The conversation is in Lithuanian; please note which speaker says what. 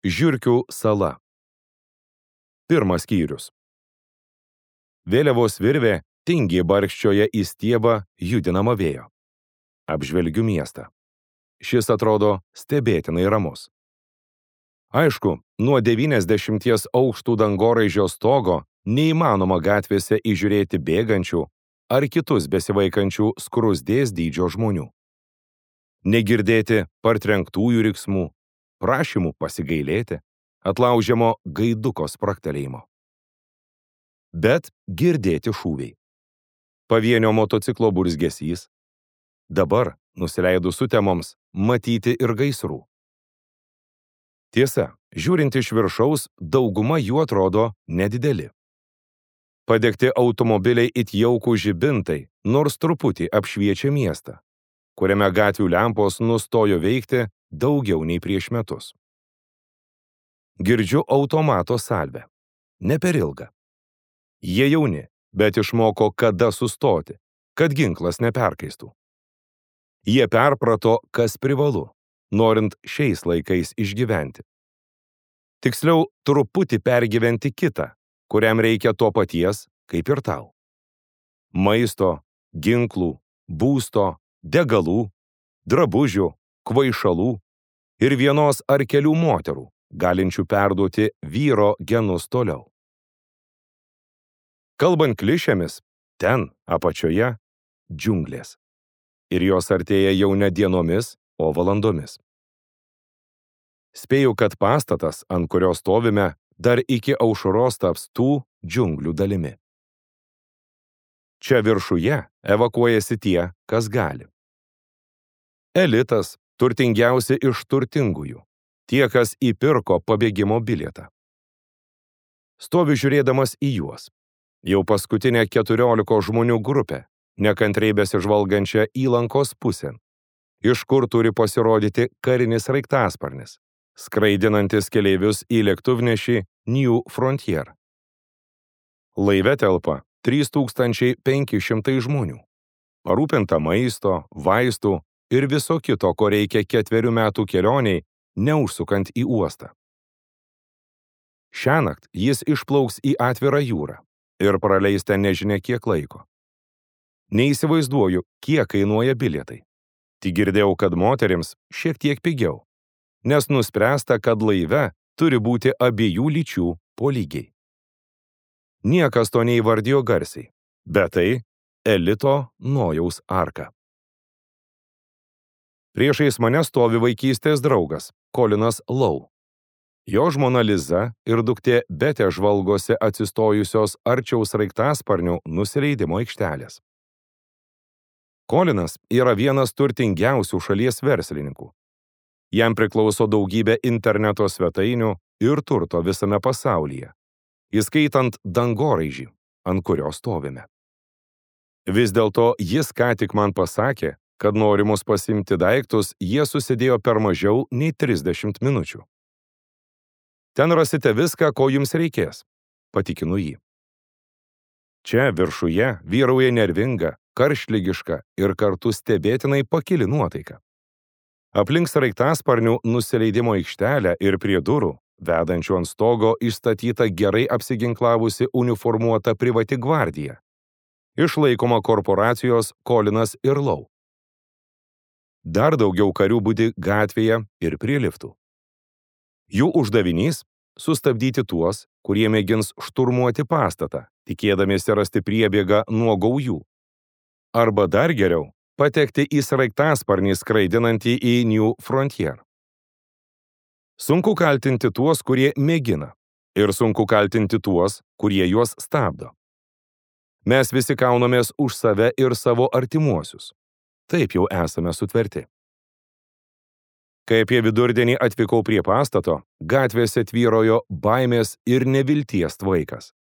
Speaker 1: Žiurkių sala. Pirmas skyrius. Vėliavos virvė tingiai barkščioja į stiebą judinamą vėjo. Apžvelgiu miestą. Šis atrodo stebėtinai ramus. Aišku, nuo 90 aukštų dangoraižio stogo neįmanoma gatvėse įžiūrėti bėgančių ar kitus besivaikančių skruzdės dydžio žmonių. Negirdėti partrenktųjų riksmų, prašymų pasigailėti, atlaužiamo gaiduko spragtelėjimo. Bet girdėti šūviai. Pavienio motociklo burzgesys. Dabar, nusileidus sutemoms, matyti ir gaisrų. Tiesa, žiūrint iš viršaus, dauguma jų atrodo nedideli. Padegti automobiliai it jaukų žibintai, nors truputį apšviečia miestą, kuriame gatvių lempos nustojo veikti daugiau nei prieš metus. Girdžiu automato salvę. Ne per ilgą. Jie jauni, bet išmoko kada sustoti, kad ginklas neperkaistų. Jie perprato, kas privalu, norint šiais laikais išgyventi. Tiksliau, truputį pergyventi kitą, kuriam reikia to paties, kaip ir tau. Maisto, ginklų, būsto, degalų, drabužių, kvaišalų ir vienos ar kelių moterų, galinčių perduoti vyro genus toliau. Kalbant klišėmis, ten, apačioje, džiunglės. Ir jos artėja jau ne dienomis, o valandomis. Spėju, kad pastatas, ant kurio stovime, dar iki aušros taps tų džiunglių dalimi. Čia viršuje evakuojasi tie, kas gali. Elitas, turtingiausi iš turtingųjų, tie, kas įpirko pabėgimo bilietą. Stoviu žiūrėdamas į juos. Jau paskutinė 14 žmonių grupė, nekantriai besižvalgančia įlankos pusėn, iš kur turi pasirodyti karinis sraigtasparnis, skraidinantis keleivius į lėktuvnešį New Frontier. Laive telpa 3500 žmonių, parūpinta maisto, vaistų ir viso kito, ko reikia 4 metų kelioniai, neužsukant į uostą. Šiąnakt jis išplauks į atvirą jūrą ir praleis ten nežinia kiek laiko. Neįsivaizduoju, kiek kainuoja bilietai. Tik girdėjau, kad moterims šiek tiek pigiau, nes nuspręsta, kad laive turi būti abiejų lyčių po lygiai. Niekas to neįvardijo garsiai, bet tai elito Nojaus arka. Priešais mane stovi vaikystės draugas, Colinas Lowe. Jo žmona Liza ir duktė Betė žvalgosi atsistojusios arčiau sraigtasparnių nusileidimo aikštelės. Colinas yra vienas turtingiausių šalies verslininkų. Jam priklauso daugybė interneto svetainių ir turto visame pasaulyje, įskaitant dangoraižį, ant kurio stovime. Vis dėlto jis ką tik man pasakė, kad norimus pasiimti daiktus jie susidėjo per mažiau nei 30 minučių. Ten rasite viską, ko jums reikės, patikinu jį. Čia viršuje vyrauja nervinga, karštligiška ir kartu stebėtinai pakili nuotaika. Aplink sraigtasparnių nusileidimo aikštelę ir prie durų, vedančių ant stogo, išstatyta gerai apsiginklavusi uniformuota privati gvardija, išlaikoma korporacijos Colinas ir Lowe. Dar daugiau karių budi gatvėje ir prie liftų. Jų uždavinys – sustabdyti tuos, kurie mėgins šturmuoti pastatą, tikėdamiesi rasti priebėgą nuo gaujų. Arba dar geriau – patekti į sraigtasparnį skraidinantį į New Frontier. Sunku kaltinti tuos, kurie mėgina, ir sunku kaltinti tuos, kurie juos stabdo. Mes visi kaunomės už save ir savo artimuosius. Taip jau esame sutverti. Kai apie vidurdienį atvykau prie pastato, gatvėse tvyrojo baimės ir nevilties tvaikas.